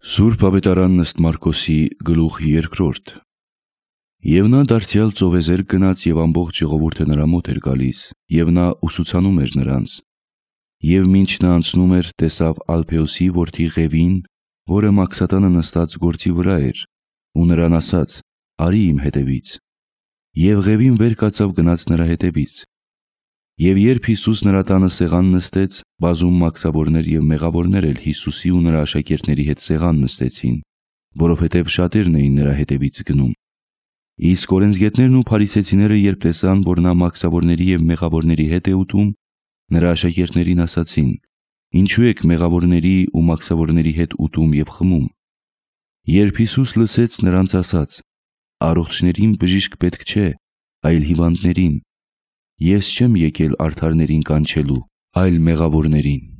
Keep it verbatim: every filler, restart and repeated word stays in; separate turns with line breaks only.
Սուրբ Ավետարանն ըստ Մարկոսի գլուխ երկրորդ։ Եվ նա դարձյալ ծովեզերք գնաց, և ամբողջ ժողովուրդը նրա մոտ էր գալիս, և նա ուսուցանում էր նրանց։ Եվ մինչ նա անցնում էր, տեսավ Ալփեոսի որդի Ղևին, որը մաքսատանը նստած գործի վրա էր, ու նրան ասաց. «Արի իմ հետևից»։ Եվ Ղևին վեր կացավ, գնաց նրա հետևից։ Եվ երբ Հիսուս նրա տանը սեղան նստեց, բազում մաքսավորներ և մեղավորներ էլ Հիսուսի ու նրա աշակերտների հետ սեղան նստեցին, որովհետև շատերն էին նրա հետևից գնում։ Իսկ օրենսգետներն ու փարիսեցիները, երբ տեսան, որ նա մաքսավորների և մեղավորների հետ է ուտում, նրա աշակերտներին ասացին. «Ինչու եք մեղավորների ու մաքսավորների հետ ուտում և խմում»։ Երբ Հիսուս լսեց, նրանց ասաց. «Առողջներին բժիշկ պետք չէ, այլ հիվանդներին. ես չեմ եկել արդարներին կանչելու, այլ մեղավորներին»։